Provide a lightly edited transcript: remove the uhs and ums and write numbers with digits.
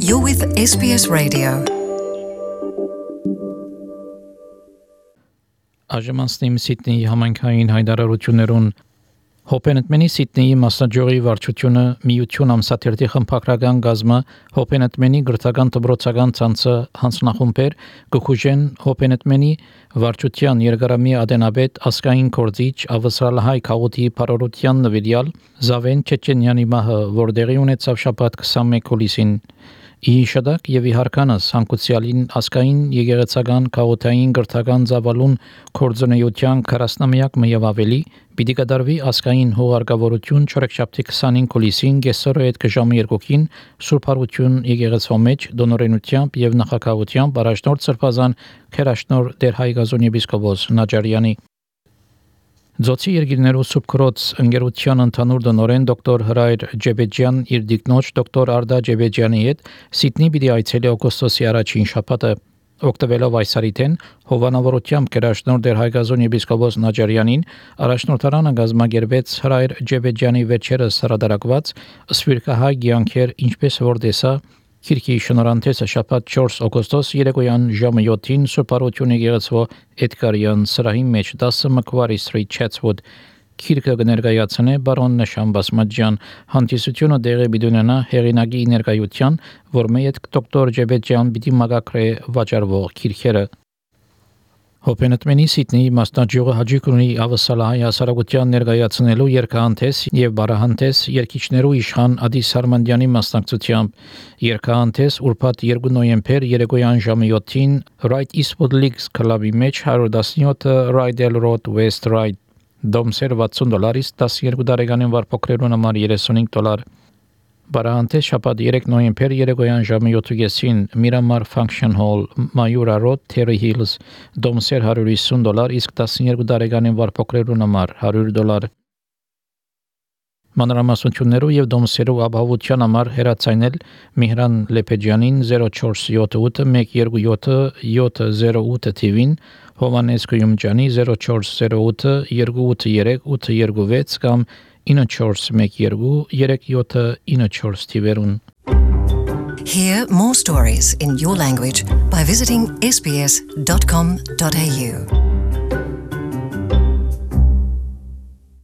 You're with SBS Radio. Աժմանստիմ Սիդնեի համայնքային հայտարարություններուն Հոպենտմենի Սիդնեի մասնաճյուղի վարչությունը միություն ամսաթերթի խմբագրական գազմը Հոպենտմենի գրթական դպրոցական ցանցը հանձնախումբեր գխուժեն Հոպենտմենի վարչության երկարամի ադենաբեդ ասկային կորձիչ ավստրալահայ քաղուտի բարորության նվիրյալ Զավեն Չեչենյանի մահը որտեղի ունեցավ շաբաթ 21 հուլիսին Իշադակ եւ իհարկանաս հանկուցյալին ասկային եկեղեցական քաղաքային գրթական զավալուն կորձոնեյության 40-ամյակ եւ ավելի պիտի կդարվի ասկային հողարկավորություն չորեքշաբթի 25 հուլիսին գեսորը այդ ժամը 2-ին Սուրբ Հարություն եկեղեցու մեջ դոնորենությամբ եւ նախակաղությամբ առաջնորդ Սրբազան Քերաշնոր Տեր Հայգազոն եպիսկոպոս Նաջարյանի Ձոցի երկիրներու Սուբկրոց ընկերության ընդհանուր դոնորեն դոկտոր Հրայր Ջեբեջյան իր դիկնոջ դոկտոր Արդա Ջեբեջյանի հետ Սիդնի պիտի այցելի օգոստոսի առաջին շաբաթը օգտվելով այս արիթեն հովանավորությամբ Քերաշնոր Տեր Հայգազոն եպիսկոպոս Նաջարյանին առաջնորդարանը գազմագերբեց Հրայր Ջեբեջյանի վերջերս հրադարակված սվիրկահայ գյանքեր ինչպես որ տեսա Քիրքի շնորհանդեսը շաբաթ 4 օգոստոս երեկոյան ժամը 7-ին Սուրբ Հարություն եկեղեցու Էդգարյան սրահի մեջ 10 Macquarie Street Chatswood Քիրքը կներկայացնե բարոն Նշան Բասմաջյան հանդիսությունը դեղի բիդունենա հեղինակի ներկայության որ մեծ դոկտոր Ջեբեջյան պիտի մագակրե վաճառվող քիրքերը Հոպենտմենի Սիդնեի մասնաճյուղը հաջիկ ունի ավսալահայ հասարակության ներկայացնելու երկհանտես եւ բարահանտես երկիչներու իշխան Ադիս Արմանդյանի մասնակցությամբ երկհանտես ուրբաթ 2 նոյեմբեր երեկոյան ժամը 7-ին Right Eastwood Leagues Club-ի մեջ 117 Rydell Road West Ride դոմսեր $60 12 տարեկանին վարփոքրերուն համար $35 Բարահանտես շաբաթ 3 նոյեմբեր երեկոյան ժամը 7-ին Miramar Function Hall Mayura Road Terry Hills դոմսեր $150 իսկ 12 տարեկանին վարփոքրերուն համար $100 Մանրամասնություններով եւ դոմսերով ապահովության համար հեռացայնել Միհրան Լեփեջյանին 0478 127 708 TV-ին Հովանես Գյումջանի 0408 283 826 կամ 9412 3794 TV-ուն Hear more stories in your language by visiting sbs.com.au.